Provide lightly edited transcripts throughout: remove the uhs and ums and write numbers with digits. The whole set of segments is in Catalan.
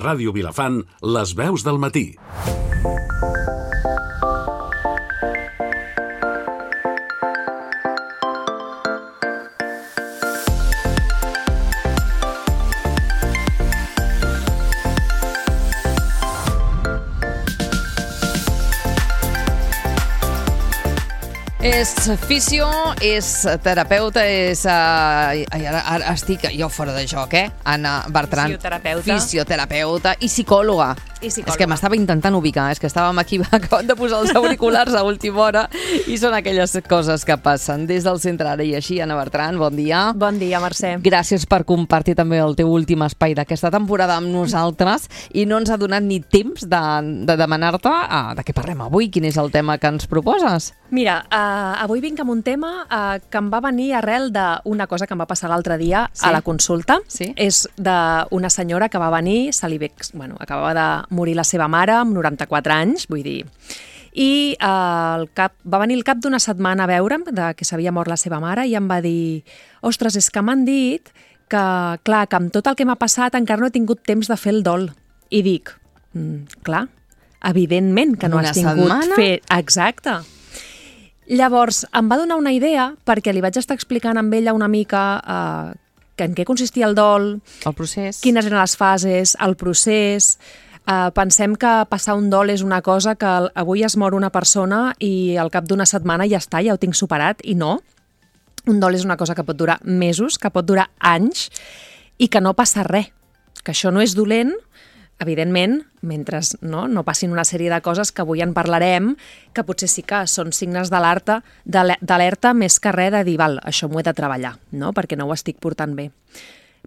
Ràdio Vilafant, les veus del matí. És fisio, és terapeuta, és... Ara estic jo fora de joc, Anna Bertran. Fisioterapeuta i psicòloga. És que m'estava intentant ubicar, és que estàvem aquí acabant de posar els auriculars a última hora i són aquelles coses que passen. Des del centre Ara i Així, Anna Bertran, bon dia. Bon dia, Mercè. Gràcies per compartir també el teu últim espai d'aquesta temporada amb nosaltres i no ens ha donat ni temps de demanar-te de què parlem avui, quin és el tema que ens proposes. Mira, avui vinc amb un tema que em va venir arrel d'una cosa que em va passar l'altre dia a la consulta. Sí? És d'una senyora que va venir, acabava de morir la seva mare amb 94 anys, vull dir. I va venir al cap d'una setmana a veure'm que s'havia mort la seva mare i em va dir: ostres, és que m'han dit que, clar, que amb tot el que m'ha passat encara no he tingut temps de fer el dol. I dic, clar, evidentment que no has tingut fer... Exacte. Llavors, em va donar una idea perquè li vaig estar explicant amb ella una mica en què consistia el dol, el procés, quines eren les fases, el procés. Pensem que passar un dol és una cosa que avui es mor una persona i al cap d'una setmana ja està, ja ho tinc superat, i no. Un dol és una cosa que pot durar mesos, que pot durar anys i que no passa res, que això no és dolent, evidentment, mentre no passin una sèrie de coses que avui en parlarem, que potser sí que són signes d'alerta més que res de dir, val, això m'ho he de treballar, no? Perquè no ho estic portant bé.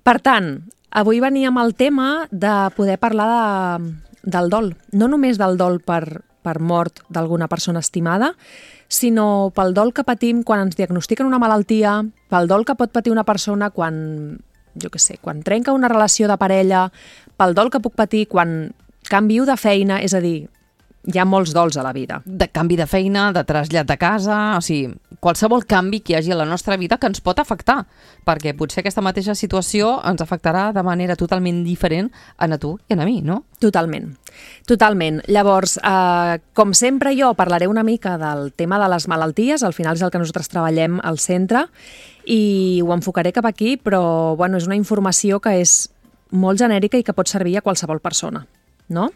Per tant, avui veníem al tema de poder parlar del dol. No només del dol per mort d'alguna persona estimada, sinó pel dol que patim quan ens diagnostiquen una malaltia, pel dol que pot patir una persona quan trenca una relació de parella, pel dol que puc patir quan canvio de feina, és a dir, hi ha molts dols a la vida. De canvi de feina, de trasllat de casa, o sigui, qualsevol canvi que hi hagi a la nostra vida que ens pot afectar, perquè potser aquesta mateixa situació ens afectarà de manera totalment diferent a tu i a mi, no? Totalment, totalment. Llavors, com sempre jo parlaré una mica del tema de les malalties, al final és el que nosaltres treballem al centre, i ho enfocaré cap aquí, però és una informació que és molt genèrica i que pot servir a qualsevol persona, no?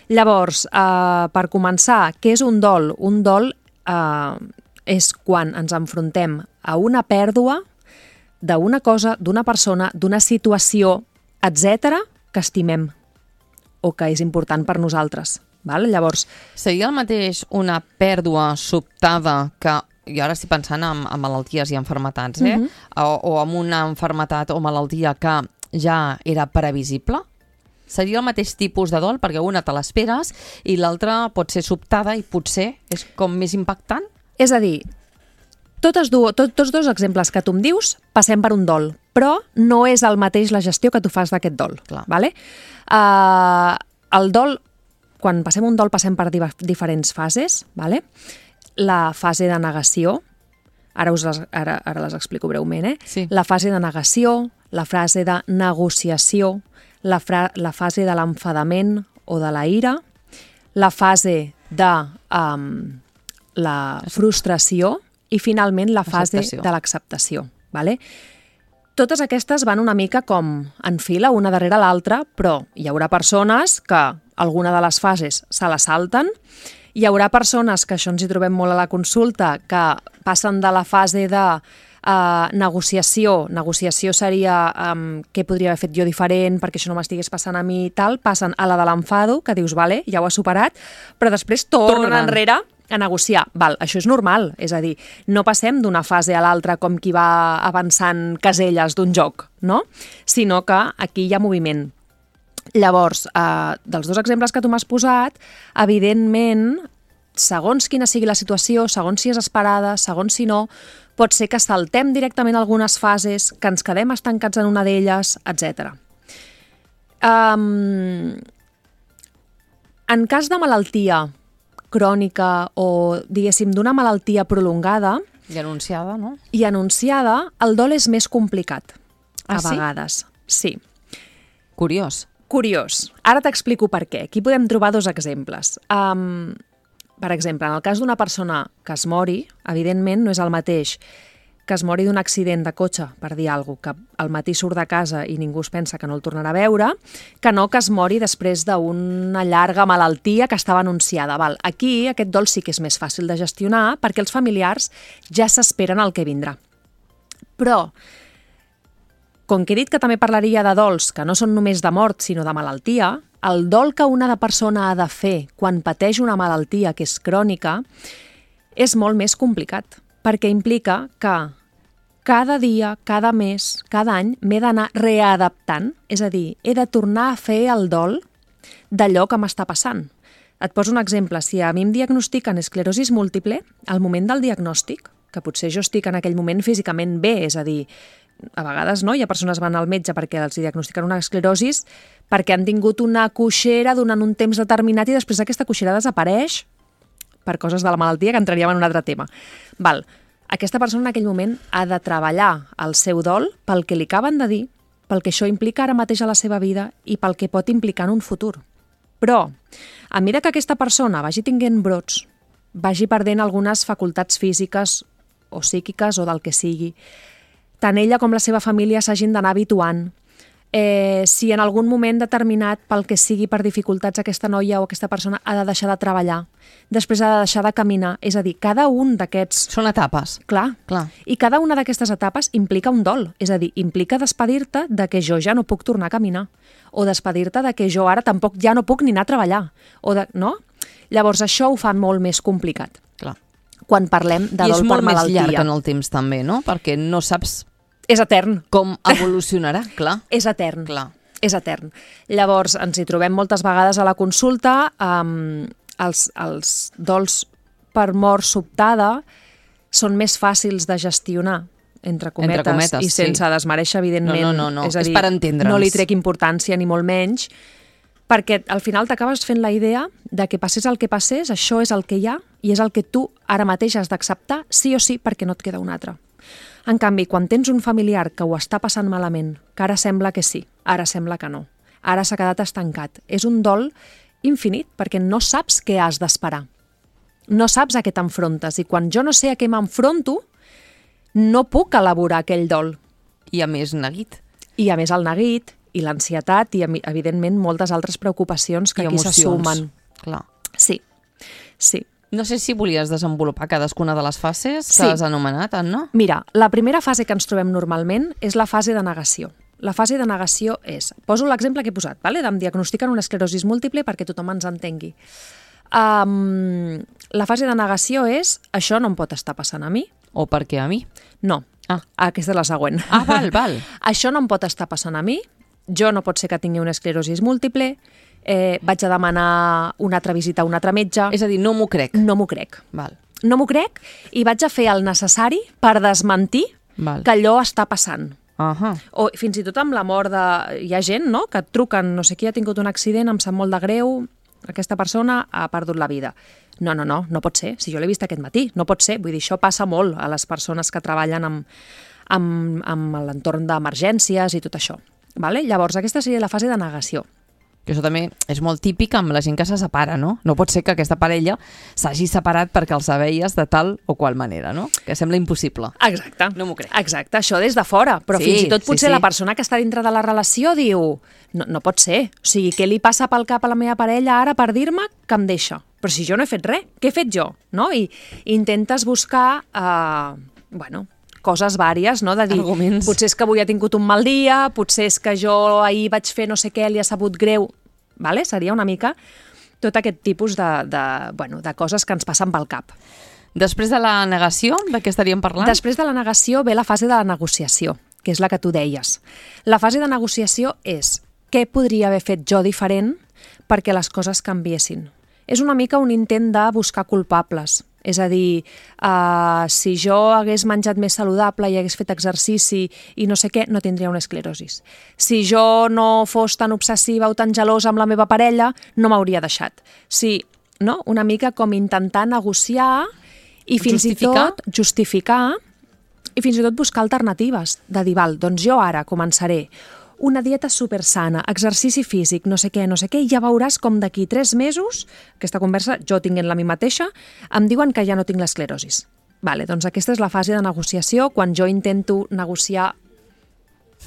Llavors, per començar, què és un dol? Un dol és quan ens enfrontem a una pèrdua d'una cosa, d'una persona, d'una situació, etc., que estimem o que és important per nosaltres. Llavors, seria el mateix una pèrdua sobtada que, jo ara estic pensant en malalties i malalties, o en una malaltia o malaltia que ja era previsible? Seria el mateix tipus de dol, perquè una te l'esperes i l'altra pot ser sobtada i potser és com més impactant? És a dir, tots dos exemples que tu em dius passem per un dol, però no és el mateix la gestió que tu fas d'aquest dol. Vale? El dol, quan passem un dol, passem per diferents fases. Vale? La fase de negació, ara les explico breument, Sí. La fase de negació, la fase de negociació, la fase de l'enfadament o de la ira, la fase de la frustració i finalment la fase de l'acceptació. Vale? Totes aquestes van una mica com en fila, una darrere l'altra, però hi haurà persones que alguna de les fases se la salten, hi haurà persones, que això ens hi trobem molt a la consulta, que passen de la fase de negociació seria què podria haver fet jo diferent perquè això no m'estigués passant a mi i tal, passen a la de l'enfado, que dius, vale, ja ho has superat, però després tornen enrere a negociar. Això és normal, és a dir, no passem d'una fase a l'altra com qui va avançant caselles d'un joc, no? Sinó que aquí hi ha moviment. Llavors, dels dos exemples que tu m'has posat, evidentment, segons quina sigui la situació, segons si és esperada, segons si no, pot ser que saltem directament algunes fases, que ens quedem estancats en una d'elles, etc. En cas de malaltia crònica o, diguéssim, d'una malaltia prolongada... I anunciada, no? I anunciada, el dol és més complicat, a sí? vegades. Sí. Curiós. Curiós. Ara t'explico per què. Aquí podem trobar dos exemples. Per exemple, en el cas d'una persona que es mori, evidentment no és el mateix que es mori d'un accident de cotxe, per dir alguna cosa, que al matí surt de casa i ningú es pensa que no el tornarà a veure, que no que es mori després d'una llarga malaltia que estava anunciada. Aquí aquest dol sí que és més fàcil de gestionar perquè els familiars ja s'esperen el que vindrà. Però, com que he dit que també parlaria de dols que no són només de mort, sinó de malaltia, el dol que una persona ha de fer quan pateix una malaltia que és crònica és molt més complicat, perquè implica que cada dia, cada mes, cada any m'he d'anar readaptant, és a dir, he de tornar a fer el dol d'allò que m'està passant. Et poso un exemple. Si a mi em diagnostiquen esclerosis múltiple, al moment del diagnòstic, que potser jo estic en aquell moment físicament bé, és a dir, a vegades no, hi ha persones que van al metge perquè els diagnostiquen una esclerosis perquè han tingut una coixera durant un temps determinat i després aquesta coixera desapareix per coses de la malaltia que entraríem en un altre tema. Aquesta persona en aquell moment ha de treballar el seu dol pel que li acaben de dir, pel que això implica ara mateix a la seva vida i pel que pot implicar en un futur. Però, a mesura que aquesta persona vagi tinguent brots, vagi perdent algunes facultats físiques o psíquiques o del que sigui, tant ella com la seva família s'hagin d'anar habituant. Si en algun moment determinat, pel que sigui per dificultats, aquesta noia o aquesta persona ha de deixar de treballar, després ha de deixar de caminar, és a dir, cada un d'aquests... Són etapes. Clar. I cada una d'aquestes etapes implica un dol, és a dir, implica despedir-te de que jo ja no puc tornar a caminar, o despedir-te de que jo ara tampoc ja no puc ni anar a treballar, no? Llavors això ho fa molt més complicat. Clar. Quan parlem de dol per malaltia. I és molt més llarg en el temps també, no? Perquè no saps... És etern. Com evolucionarà, clar. És etern. Clar. És etern. Llavors, ens hi trobem moltes vegades a la consulta, els dols per mort sobtada són més fàcils de gestionar, entre cometes i sense desmereixer, evidentment. No. És a dir, és per entendre'ns. no li trec importància ni molt menys, perquè al final t'acabes fent la idea de que passés el que passés, això és el que hi ha i és el que tu ara mateix has d'acceptar sí o sí perquè no et queda un altre. En canvi, quan tens un familiar que ho està passant malament, que ara sembla que sí, ara sembla que no, ara s'ha quedat estancat, és un dol infinit perquè no saps què has d'esperar. No saps a què t'enfrontes i quan jo no sé a què m'enfronto, no puc elaborar aquell dol. I a més neguit. I a més el neguit i l'ansietat i, evidentment, moltes altres preocupacions que aquí se sumen. Clar. Sí. No sé si volies desenvolupar cadascuna de les fases que has anomenat, Anna. Mira, la primera fase que ens trobem normalment és la fase de negació. La fase de negació és... Poso l'exemple que he posat, vale? Em diagnostiquen una esclerosi múltiple perquè tothom ens entengui. La fase de negació és això no em pot estar passant a mi. O per què a mi? No, aquesta és la següent. Val. Això no em pot estar passant a mi, jo no pot ser que tingui una esclerosi múltiple, vaig a demanar una altra visita a un altre metge. És a dir, no m'ho crec. No m'ho crec. Val. No m'ho crec i vaig a fer el necessari per desmentir que allò està passant. O fins i tot amb la mort de... Hi ha gent, no?, que et truquen, no sé qui ha tingut un accident, em sap molt de greu, aquesta persona ha perdut la vida. No pot ser. Si jo l'he vist aquest matí, no pot ser. Vull dir, això passa molt a les persones que treballen amb l'entorn d'emergències i tot això. Vale? Llavors, aquesta seria la fase de negació. Que això també és molt típic amb la gent que se separa, no? No pot ser que aquesta parella s'hagi separat perquè els veies de tal o qual manera, no? Que sembla impossible. Exacte. No m'ho crec. Exacte, això des de fora. Però fins i tot potser la persona que està dintre de la relació diu no pot ser. O sigui, què li passa pel cap a la meva parella ara per dir-me que em deixa? Però si jo no he fet res, què he fet jo? No? I intentes buscar, coses vàries, no? De dir, arguments. Potser és que avui ha tingut un mal dia, potser és que jo ahir vaig fer no sé què, li ha sabut greu, vale? Seria una mica tot aquest tipus de coses que ens passen pel cap. Després de la negació, de què estaríem parlant? Després de la negació ve la fase de la negociació, que és la que tu deies. La fase de negociació és què podria haver fet jo diferent perquè les coses canviessin. És una mica un intent de buscar culpables. És a dir, si jo hagués menjat més saludable i hagués fet exercici i no sé què, no tindria una esclerosis. Si jo no fos tan obsessiva o tan gelosa amb la meva parella, no m'hauria deixat. Sí, no? Una mica com intentar negociar i fins i tot justificar i fins i tot buscar alternatives. De dir, doncs jo ara començaré una dieta supersana, exercici físic, no sé què, i ja veuràs com d'aquí 3 mesos, aquesta conversa, jo tinguent-la a mi mateixa, em diuen que ja no tinc l'esclerosis. Vale, doncs aquesta és la fase de negociació, quan jo intento negociar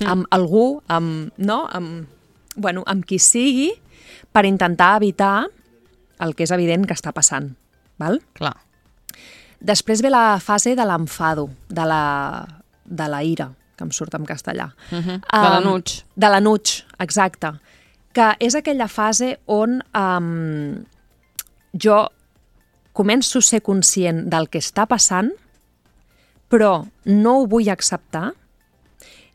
amb algú, amb qui sigui, per intentar evitar el que és evident que està passant. Val? Clar. Després ve la fase de l'enfado, de la ira, que em surt en castellà. De l'anuig. De l'anuig, exacte. Que és aquella fase on jo començo a ser conscient del que està passant, però no ho vull acceptar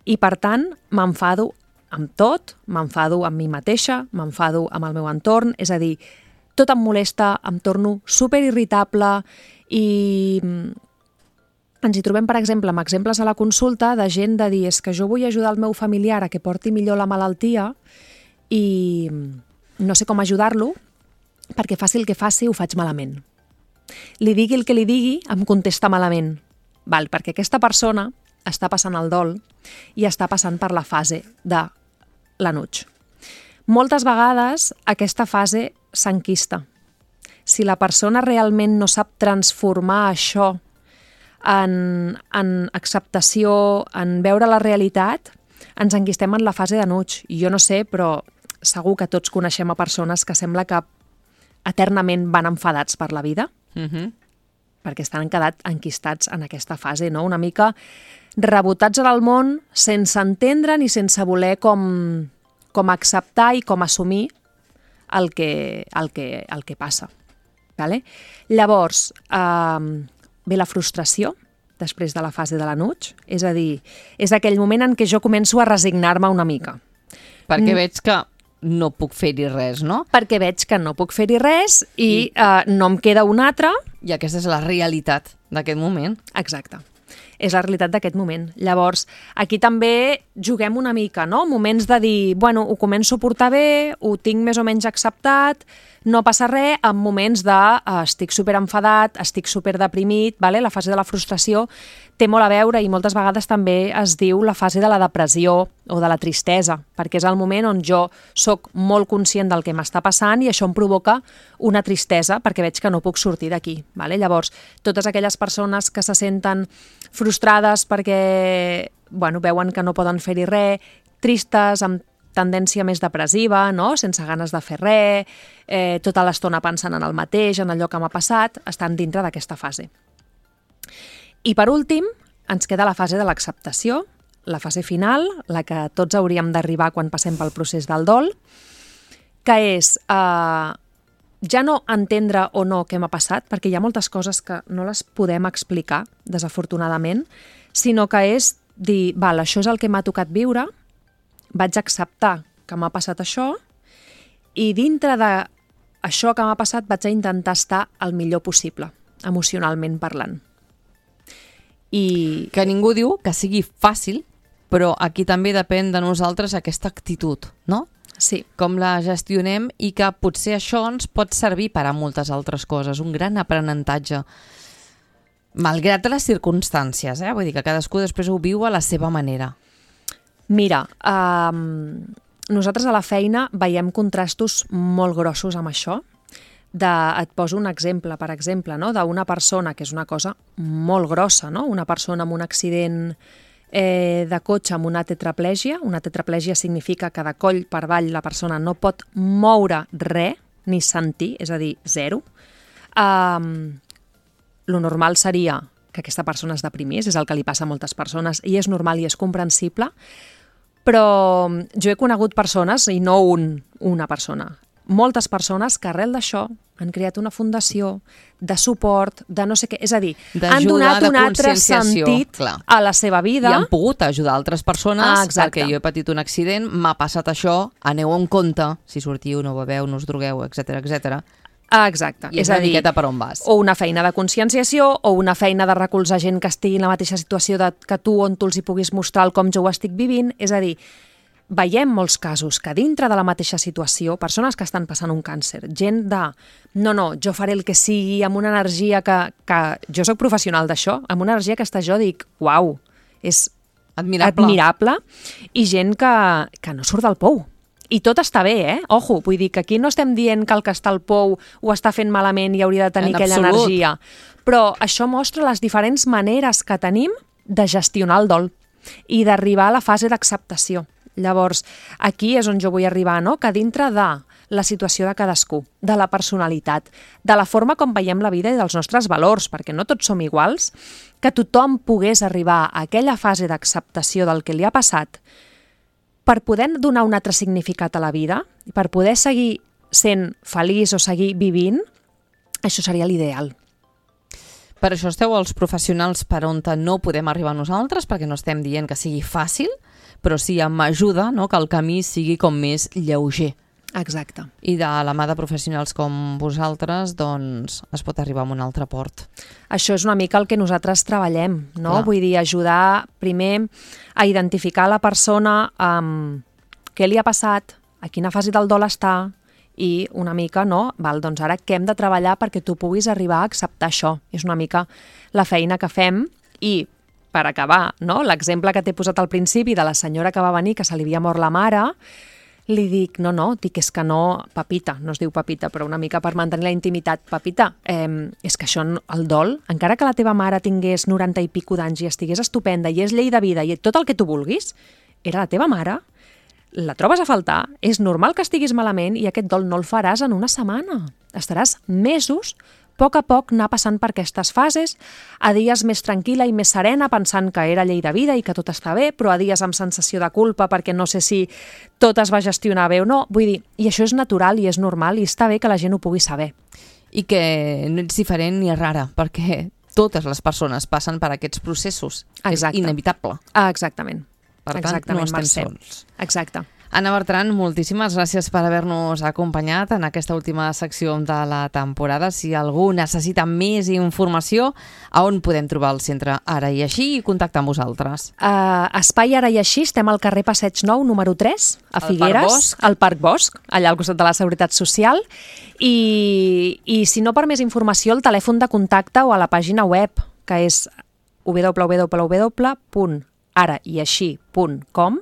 i, per tant, m'enfado amb tot, m'enfado amb mi mateixa, m'enfado amb el meu entorn, és a dir, tot em molesta, em torno superirritable i ens hi trobem, per exemple, amb exemples a la consulta de gent de dir és que jo vull ajudar el meu familiar a que porti millor la malaltia i no sé com ajudar-lo perquè faci el que faci ho faig malament. Li digui el que li digui, em contesta malament. Val, perquè aquesta persona està passant el dol i està passant per la fase de l'anuig. Moltes vegades aquesta fase s'enquista. Si la persona realment no sap transformar això en acceptació, en veure la realitat, ens enquistem en la fase d'anuig. I jo no sé, però segur que tots coneixem a persones que sembla que eternament van enfadats per la vida, perquè estan quedat enquistats en aquesta fase, no? Una mica rebotats en el món sense entendre ni sense voler com acceptar i com assumir el que passa. Vale? Llavors, ve la frustració després de la fase de l'anuig, és a dir, és aquell moment en què jo començo a resignar-me una mica. Perquè veig que no puc fer-hi res, no? Perquè veig que no puc fer-hi res i no em queda un altre. I aquesta és la realitat d'aquest moment. Exacte. És la realitat d'aquest moment. Llavors, aquí també juguem una mica, no? Moments de dir, bueno, ho començo a portar bé, ho tinc més o menys acceptat, no passa res, en moments de estic superenfadat, estic superdeprimit, vale? La fase de la frustració té molt a veure i moltes vegades també es diu la fase de la depressió o de la tristesa, perquè és el moment on jo sóc molt conscient del que m'està passant i això em provoca una tristesa perquè veig que no puc sortir d'aquí. Vale? Llavors, totes aquelles persones que se senten frustrades perquè veuen que no poden fer-hi res, tristes, amb tendència més depressiva, no? Sense ganes de fer res, tota l'estona pensant en el mateix, en allò que m'ha passat, estan dintre d'aquesta fase. I per últim, ens queda la fase de l'acceptació, la fase final, la que tots hauríem d'arribar quan passem pel procés del dol, que és ja no entendre o no què m'ha passat, perquè hi ha moltes coses que no les podem explicar, desafortunadament, sinó que és dir, val, això és el que m'ha tocat viure, vaig acceptar que m'ha passat això i dintre d'això que m'ha passat vaig intentar estar el millor possible, emocionalment parlant. I que ningú diu que sigui fàcil, però aquí també depèn de nosaltres aquesta actitud, no? Sí. Com la gestionem i que potser això ens pot servir per a moltes altres coses, un gran aprenentatge. Malgrat les circumstàncies, vull dir que cadascú després ho viu a la seva manera. Mira, nosaltres a la feina veiem contrastos molt grossos amb això. Et poso un exemple, per exemple, no? D'una persona, que és una cosa molt grossa, no? Una persona amb un accident de cotxe amb una tetraplègia. Una tetraplègia significa que de coll per avall la persona no pot moure res, ni sentir, és a dir, zero. Lo normal seria que aquesta persona es deprimís, és el que li passa a moltes persones, i és normal i és comprensible, però jo he conegut persones, i no una persona, moltes persones que arrel d'això han creat una fundació de suport, de no sé què, és a dir, han donat un altre sentit a la seva vida. I han pogut ajudar altres persones, perquè jo he patit un accident, m'ha passat això, aneu en compte, si sortiu, no beveu, no us drogueu, etc etc. Exacte. I és una miqueta per on vas. O una feina de conscienciació, o una feina de recolzar gent que estigui en la mateixa situació que tu, on tu els hi puguis mostrar el com jo ho estic vivint. És a dir, veiem molts casos que dintre de la mateixa situació, persones que estan passant un càncer, gent de, no, jo faré el que sigui, amb una energia que jo sóc professional d'això, amb una energia que jo dic, uau, és admirable i gent que no surt del pou. I tot està bé, Ojo, vull dir que aquí no estem dient que el que està al pou ho està fent malament i hauria de tenir aquella energia. Però això mostra les diferents maneres que tenim de gestionar el dol i d'arribar a la fase d'acceptació. Llavors, aquí és on jo vull arribar, no? Que dintre de la situació de cadascú, de la personalitat, de la forma com veiem la vida i dels nostres valors, perquè no tots som iguals, que tothom pogués arribar a aquella fase d'acceptació del que li ha passat per poder donar un altre significat a la vida, per poder seguir sent feliç o seguir vivint, això seria l'ideal. Per això esteu els professionals per on no podem arribar nosaltres, perquè no estem dient que sigui fàcil, però sí amb ajuda, no? Que el camí sigui com més lleuger. Exacte. I de la mà de professionals com vosaltres, doncs, es pot arribar a un altre port. Això és una mica el que nosaltres treballem, no? Clar. Vull dir, ajudar primer a identificar la persona què li ha passat, a quina fase del dol està, i una mica, no? Val, doncs ara què hem de treballar perquè tu puguis arribar a acceptar això. És una mica la feina que fem i, per acabar, no? L'exemple que t'he posat al principi de la senyora que va venir, que se li havia mort la mare, li dic, dic, és que no, Pepita, no es diu Pepita, però una mica per mantenir la intimitat, Pepita, és que això, el dol, encara que la teva mare tingués 90 i pico d'anys i estigués estupenda i és llei de vida i tot el que tu vulguis, era la teva mare, la trobes a faltar, és normal que estiguis malament i aquest dol no el faràs en una setmana. Estaràs mesos, a poc anar passant per aquestes fases, a dies més tranquil·la i més serena, pensant que era llei de vida i que tot està bé, però a dies amb sensació de culpa perquè no sé si tot es va gestionar bé o no. Vull dir, i això és natural i és normal i està bé que la gent ho pugui saber. I que no ets diferent ni rara, perquè totes les persones passen per aquests processos. Exacte. És inevitable. Exactament. Per tant, no estem sols. Exacte. Anna Bertran, moltíssimes gràcies per haver-nos acompanyat en aquesta última secció de la temporada. Si algú necessita més informació, a on podem trobar el centre Ara i Així i contactar amb vosaltres? Espai Ara i Així, estem al carrer Passeig Nou, número 3, a Figueres, al Parc Bosc, allà al costat de la Seguretat Social. I si no, per més informació, el telèfon de contacte o a la pàgina web, que és www.araiaixí.com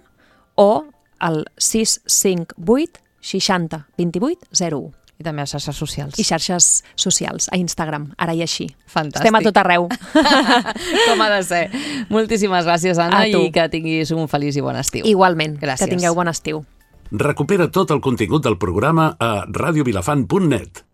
o al 658 60 28 01. I també a xarxes socials. I xarxes socials, a Instagram, Ara i Així. Fantàstic. Estem a tot arreu. Com ha de ser. Moltíssimes gràcies, Anna, i que tinguis un feliç i bon estiu. Igualment, gràcies. Que tingueu bon estiu. Recupera tot el contingut del programa a radiovilafant.net.